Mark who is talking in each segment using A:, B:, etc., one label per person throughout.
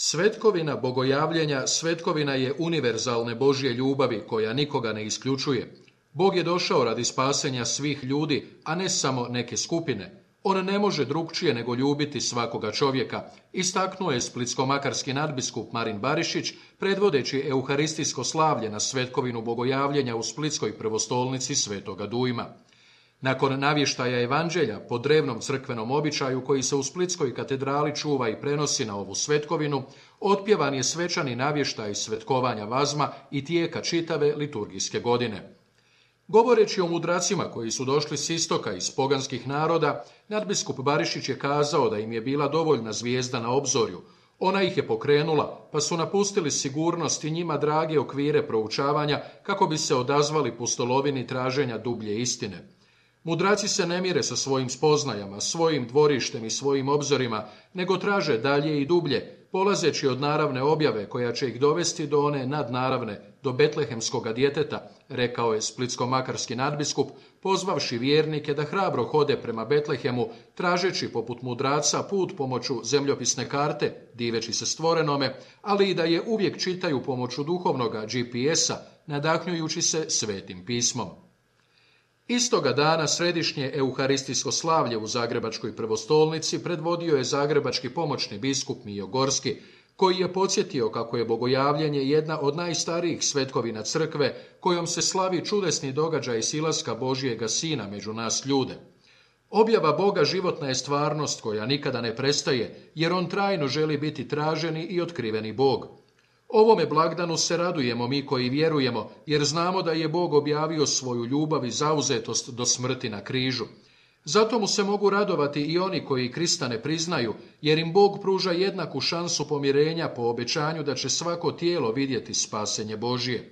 A: Svetkovina bogojavljenja svetkovina je univerzalne Božje ljubavi koja nikoga ne isključuje. Bog je došao radi spasenja svih ljudi, a ne samo neke skupine. On ne može drukčije nego ljubiti svakoga čovjeka, istaknuo je splitsko-makarski nadbiskup Marin Barišić, predvodeći euharistijsko slavlje na svetkovinu bogojavljenja u splitskoj prvostolnici Svetoga Dujma. Nakon navještaja evanđelja po drevnom crkvenom običaju koji se u Splitskoj katedrali čuva i prenosi na ovu svetkovinu, otpjevan je svečani navještaj svetkovanja vazma i tijeka čitave liturgijske godine. Govoreći o mudracima koji su došli s istoka iz poganskih naroda, nadbiskup Barišić je kazao da im je bila dovoljna zvijezda na obzorju. Ona ih je pokrenula, pa su napustili sigurnost i njima drage okvire proučavanja kako bi se odazvali pustolovini traženja dublje istine. Mudraci se ne mire sa svojim spoznajama, svojim dvorištem i svojim obzorima, nego traže dalje i dublje, polazeći od naravne objave koja će ih dovesti do one nadnaravne, do betlehemskoga djeteta, rekao je splitsko-makarski nadbiskup, pozvavši vjernike da hrabro hode prema Betlehemu, tražeći poput mudraca put pomoću zemljopisne karte, diveći se stvorenome, ali i da je uvijek čitaju pomoću duhovnoga GPS-a, nadahnjujući se svetim pismom. Istoga dana središnje euharistijsko slavlje u Zagrebačkoj prvostolnici predvodio je zagrebački pomoćni biskup Mijo Gorski, koji je podsjetio kako je bogojavljenje jedna od najstarijih svetkovina crkve kojom se slavi čudesni događaj silaska Božjega Sina među nas ljude. Objava Boga životna je stvarnost koja nikada ne prestaje, jer on trajno želi biti traženi i otkriveni Bog. Ovome blagdanu se radujemo mi koji vjerujemo, jer znamo da je Bog objavio svoju ljubav i zauzetost do smrti na križu. Zato mu se mogu radovati i oni koji Krista ne priznaju, jer im Bog pruža jednaku šansu pomirenja po obećanju da će svako tijelo vidjeti spasenje Božje.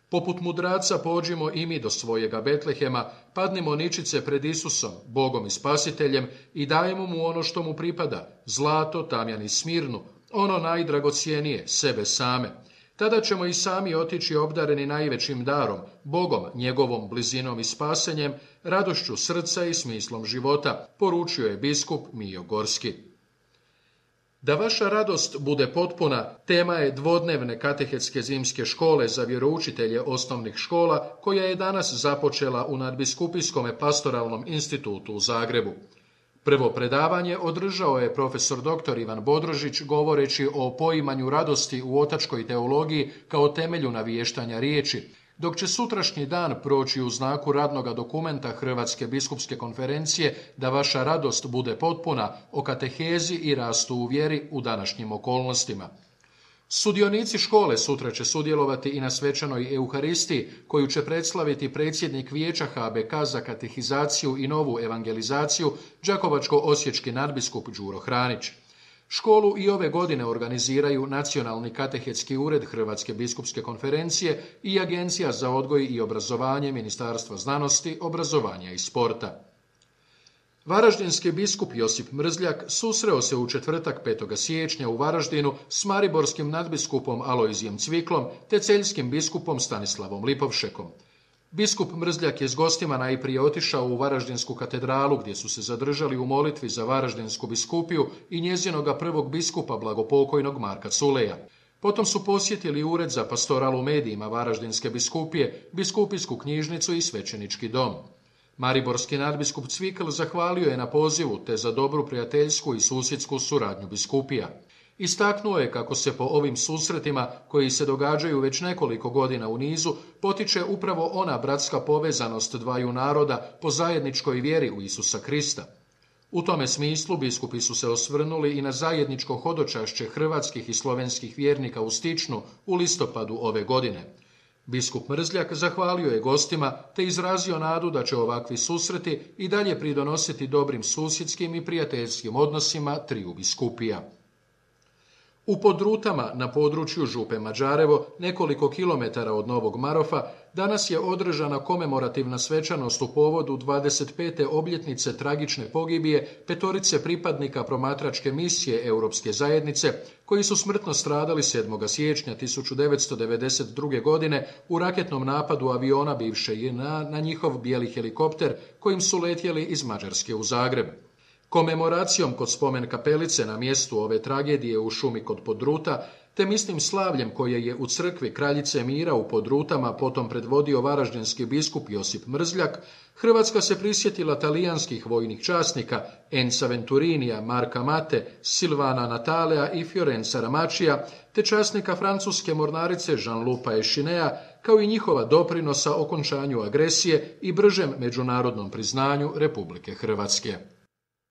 A: Poput mudraca pođimo i mi do svojega Betlehema, padnimo ničice pred Isusom, Bogom i Spasiteljem, i dajemo mu ono što mu pripada, zlato, tamjan i smirnu, ono najdragocjenije, sebe same. Tada ćemo i sami otići obdareni najvećim darom, Bogom, njegovom blizinom i spasenjem, radošću srca i smislom života, poručio je biskup Mijo Gorski. Da vaša radost bude potpuna, tema je dvodnevne katehetske zimske škole za vjeroučitelje osnovnih škola, koja je danas započela u Nadbiskupijskom pastoralnom institutu u Zagrebu. Prvo predavanje održao je profesor dr. Ivan Bodrožić govoreći o poimanju radosti u otačkoj teologiji kao temelju naviještanja riječi, dok će sutrašnji dan proći u znaku radnoga dokumenta Hrvatske biskupske konferencije Da vaša radost bude potpuna o katehezi i rastu u vjeri u današnjim okolnostima. Sudionici škole sutra će sudjelovati i na svečanoj euharistiji koju će predslaviti predsjednik Vijeća HBK za katehizaciju i novu evangelizaciju, đakovačko-osječki nadbiskup Đuro Hranić. Školu i ove godine organiziraju Nacionalni katehetski ured Hrvatske biskupske konferencije i Agencija za odgoj i obrazovanje Ministarstva znanosti, obrazovanja i sporta. Varaždinski biskup Josip Mrzljak susreo se u četvrtak 5. siječnja u Varaždinu s mariborskim nadbiskupom Alojzijem Cviklom te celjskim biskupom Stanislavom Lipovšekom. Biskup Mrzljak je s gostima najprije otišao u Varaždinsku katedralu gdje su se zadržali u molitvi za Varaždinsku biskupiju i njezinoga prvog biskupa blagopokojnog Marka Culeja. Potom su posjetili Ured za pastoral u medijima Varaždinske biskupije, biskupijsku knjižnicu i svećenički dom. Mariborski nadbiskup Cvikl zahvalio je na pozivu te za dobru prijateljsku i susjedsku suradnju biskupija. Istaknuo je kako se po ovim susretima, koji se događaju već nekoliko godina u nizu, potiče upravo ona bratska povezanost dvaju naroda po zajedničkoj vjeri u Isusa Krista. U tome smislu biskupi su se osvrnuli i na zajedničko hodočašće hrvatskih i slovenskih vjernika u Stičnu u listopadu ove godine. Biskup Mrzljak zahvalio je gostima te izrazio nadu da će ovakvi susreti i dalje pridonositi dobrim susjedskim i prijateljskim odnosima triju biskupija. U Podrutama, na području Župe Mađarevo, nekoliko kilometara od Novog Marofa, danas je održana komemorativna svečanost u povodu 25. obljetnice tragične pogibije petorice pripadnika promatračke misije Europske zajednice, koji su smrtno stradali 7. siječnja 1992. godine u raketnom napadu aviona bivše JNA na njihov bijeli helikopter kojim su letjeli iz Mađarske u Zagreb. Komemoracijom kod spomen kapelice na mjestu ove tragedije u šumi kod Podruta, te mislim slavljem koje je u crkvi Kraljice Mira u Podrutama potom predvodio varaždinski biskup Josip Mrzljak, Hrvatska se prisjetila talijanskih vojnih časnika Enza Venturinija, Marka Mate, Silvana Natalea i Fiorenza Ramačija, te časnika francuske mornarice Jean-Luca Echinea, kao i njihova doprinosa okončanju agresije i bržem međunarodnom priznanju Republike Hrvatske.